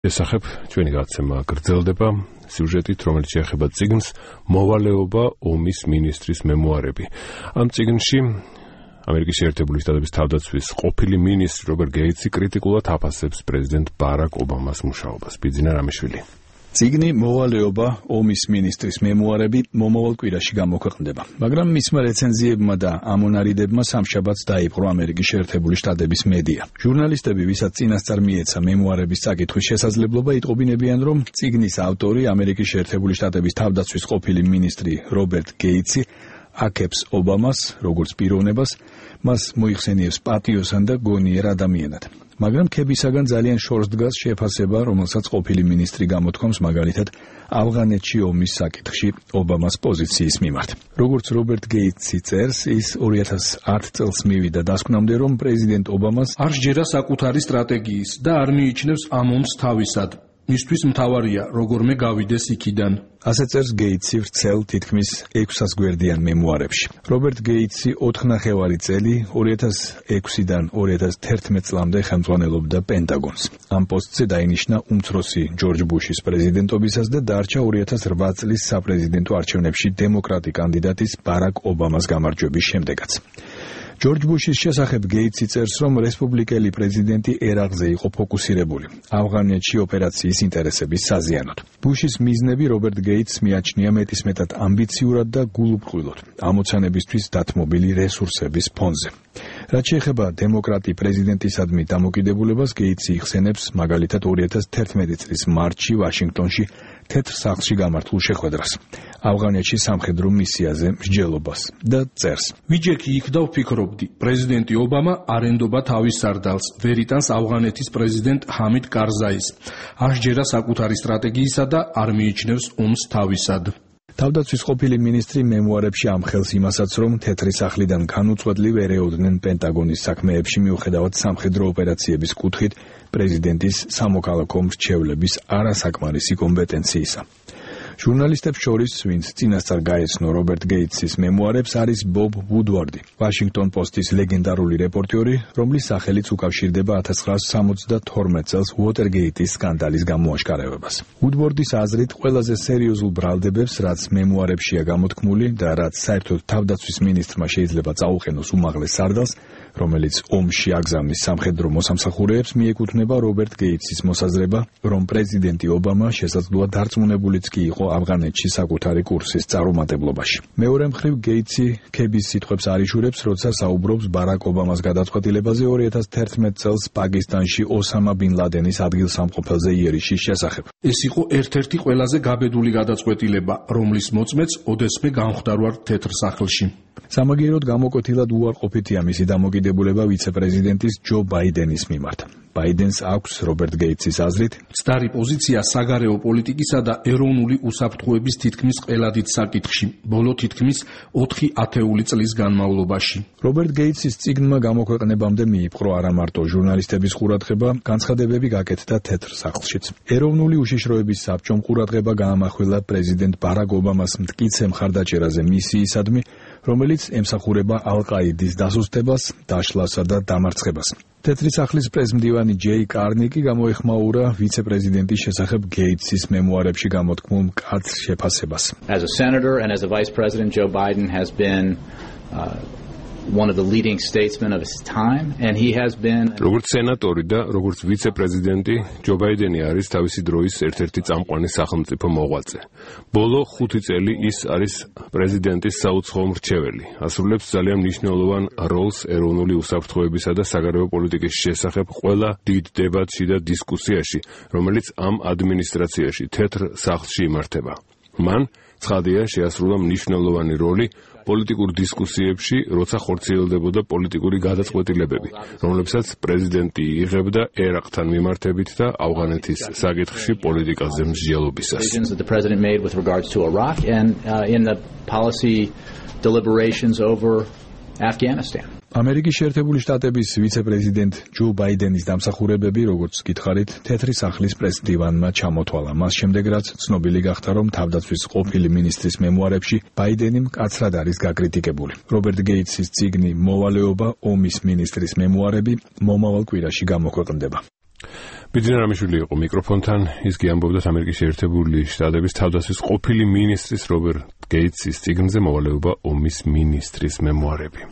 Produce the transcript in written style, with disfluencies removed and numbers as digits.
ესახებ ჩვენი გადაცემა გრძელდება სიუჟეტით, რომელიც შეეხება წიგნს მოვალეობა ომის მინისტრის მემუარები. ამ წიგნში ამერიკის შეერთებული შტატების თავდაცვის ყოფილი მინისტრი რობერტ გეიტსი კრიტიკულად აფასებს პრეზიდენტ ბარაკ ობამას მუშაობას. ბიძინა რამიშვილი. წიგნი მოვალეობა ომის მინისტრის მემუარები მომავალ კვირაში გამოქვეყნდება, მაგრამ მისმა რეცენზიებმა და ამონარიდებმა სამშაბათს დაიპყრო ამერიკის შეერთებული შტატების მედია. ჟურნალისტები, ვისაც წინასწარ მიეცა მემუარების წაკითხვის შესაძლებლობა, იტყობინებიან, რომ წიგნის ავტორი ამერიკის შეერთებული შტატების თავდაცვის ყოფილი მინისტრი რობერტ გეიტსი აკებს ობამას როგორც პიროვნებას, მას მოიხსენიებს პატიოსან და გონიერ ადამიანად. მაგრამ ქებისაგან ძალიან შორს დგას შეფასება, რომელსაც ყოფილი მინისტრი გამოთქვამს მაგალითად ავღანეთში ომის საკითხში ობამას პოზიციის მიმართ. როგორც რობერტ გეიტსი წერს, ის 2010 წელს მივიდა დასკვნამდე, რომ პრეზიდენტ ობამას არ სჯერა საკუთარი სტრატეგიის და არ მიიჩნევს ამ ომს თავისად. მისთვის მთავარია როგორმე გავიდეს იქიდან. ასე წერს გეიტსი ვრცელ თითქმის 600 გვერდიან მემუარებში. რობერტ გეიტსი 4 ნახევარი წელი 2006-დან 2011 წლამდე ხელმძღვანელობდა პენტაგონს. ამ პოსტზე დაინიშნა უმცროსი ჯორჯ ბუშის პრეზიდენტობისას და დარჩა 2008 წლის საპრეზიდენტო არჩევნებში დემოკრატი კანდიდატის ბარაკ ობამას გამარჯვების შემდეგაც. ჯორჯ ბუშის შესახებ გეიტსი წერს, რომ რესპუბლიკელი პრეზიდენტი ერაღზე იყო ფოკუსირებული ავღანეთში ოპერაციის ინტერესების საზიანოდ. ბუშის მიზნები რობერტ გეიტსს მიაჩნია მეტისმეტად ამბიციურად და გულუბრყვილოდ ამოცანებისთვის დათმობილი რესურსების ფონზე. რაც შეეხება დემოკრატი პრეზიდენტისადმი დამოკიდებულებას, გეიტსი იხსენებს მაგალითად 2011 წლის მარტში ვაშინგტონში თეთრ სახლში გამართულ შეხვედრას, ავღანეთში სამხედრო მისიაზე მსჯელობას და წერს. ვიჯექი იქ და ვფიქრობდი, პრეზიდენტი ობამა არ ენდობა თავის სარდალს, ვერ იტანს ავღანეთის პრეზიდენტ ჰამიდ კარზაის, არ სჯერა საკუთარი სტრატეგიისა და არ მიიჩნევს ომს თავისად. თავდაცვის ყოფილი მინისტრი მემუარებში ამხელს იმასაც, რომ თეთრი სახლიდან განუწყვეტლივ ერეოდნენ პენტაგონის საქმეებში მიუხედავად სამხედრო ოპერაციების კუთხით პრეზიდენტის სამოქალაქო მრჩევლების არასაკმარისი კომპეტენციისა. ჟურნალისტებს შორის, ვინც წინასწარ გაეცნო რობერტ გეიტსის მემუარებს, არის ბობ ვუდვარდი, ვაშინგტონ პოსტის ლეგენდარული რეპორტიორი, რომლის სახელიც უკავშირდება 1972 წელს უოტერგეიტის სკანდალის გამოაშკარებებას. ვუდვარდის აზრით, ყველაზე სერიოზულ ბრალდებებს, რაც მემუარებშია გამოთქმული და რაც საერთოდ თავდაცვის მინისტრმა შეიძლება წაუყენოს უმაღლეს სარდალს, რომელიც ომში აგზავნის სამხედრო მოსამსახურეებს, მიეკუთვნება რობერტ გეიტსის მოსაზრება, რომ პრეზიდენტი ობამა შესაძლოა დარწმუნებულიც კი იყო ავღანეთში საკუთარი კურსის წარუმატებლობაში. მეორე მხრივ გეიტსი ქების სიტყვებს არიშურებს, როცა საუბრობს ბარაკ ობამას გადაწყვეტილებაზე 2011 წელს პაკისტანში ოსამა ბინ ლადენის ადგილსამყოფელზე იერიშის შესახებ. ეს იყო ერთ-ერთი ყველაზე გაბედული გადაწყვეტილება, რომლის მოწმეც ოდესმე განხვდარ ვარ თეთრ სახლში. სამაგიეროდ გამოკვეთილად უარყოფითია მისი დამოკიდებულება ვიცე-პრეზიდენტის ჯო ბაიდენის მიმართ. ბაიდენს აქვს რობერტ გეიტსის აზრით მცდარი პოზიცია საგარეო პოლიტიკისა და ეროვნული უსაფრთხოების თითქმის ყველა დიდ საკითხში, ბოლო თითქმის 4 ათეული წლის განმავლობაში. რობერტ გეიტსის წიგნმა გამოქვეყნებამდე მიიპყრო არა მარტო ჟურნალისტების ყურადღება, განცხადებები გაკეთდა თეთრ სახლშიც. ეროვნული უშიშროების საბჭომ ყურადღება გაამახვილა პრეზიდენტ ბარაკ ობამას მტკიცე მხარდაჭერაზე მისიისადმი, რომელიც ემსახურება ალ-ყაიდის დასუსტებას, დაშლასა და დამარცხებას. თეთრი სახლის პრესმდივანი ჯეი კარნიკი გამოეხმაურა ვიცე-პრეზიდენტის შესახებ გეიტსის მემუარებში გამოთქმულ მკაცრ შეფასებას. As a senator and as a vice president, Joe Biden has been one of the leading statesmen of his time, and he has been როგორც სენატორი და როგორც ვიცე-პრეზიდენტი, ჯო ბაიდენი არის თავისი დროის ერთ-ერთი წამყვანი სახელმწიფო მოღვაწე. ბოლო 5 წელი ის არის პრეზიდენტის საუცხოო მრჩეველი. ასრულებს ძალიან მნიშვნელოვან როლს ეროვნული უსაფრთხოებისა და საგარეო პოლიტიკის შესახებ ყველა დიდ დებატში და დისკუსიაში, რომელიც ამ ადმინისტრაციაში თეთრ სახლში იმართება. მან ცხადია შეასრულა მნიშვნელოვანი როლი პოლიტიკურ დისკუსიებში, როცა ხორციელდებოდა პოლიტიკური გადაწყვეტილებები, რომლებსაც პრეზიდენტი იღებდა ერაყთან მიმართებით და ავღანეთის საკითხში პოლიტიკაზე მსჯელობისას. ამერიკის შეერთებული შტატების ვიცე-პრეზიდენტ ჯო ბაიდენის დამსახურებები, როგორც გითხარით, თეთრი სახლის პრესდივანმა ჩამოთვალა. მას შემდეგ, რაც ცნობილი გახდა, რომ თავდაცვის ყოფილი მინისტრის მემუარებში ბაიდენი მკაცრად არის გაკრიტიკებული. რობერტ გეიტსის წიგნი მოვალეობა ომის მინისტრის მემუარები მომავალ კვირაში გამოქვეყნდება. ბიძინა რამიშვილი იყო მიკროფონთან, ის კი ამბობდა ამერიკის შეერთებული შტატების თავდაცვის ყოფილი მინისტრის რობერტ გეიტსის წიგნზე მოვალეობა ომის მინისტრის მემუარები.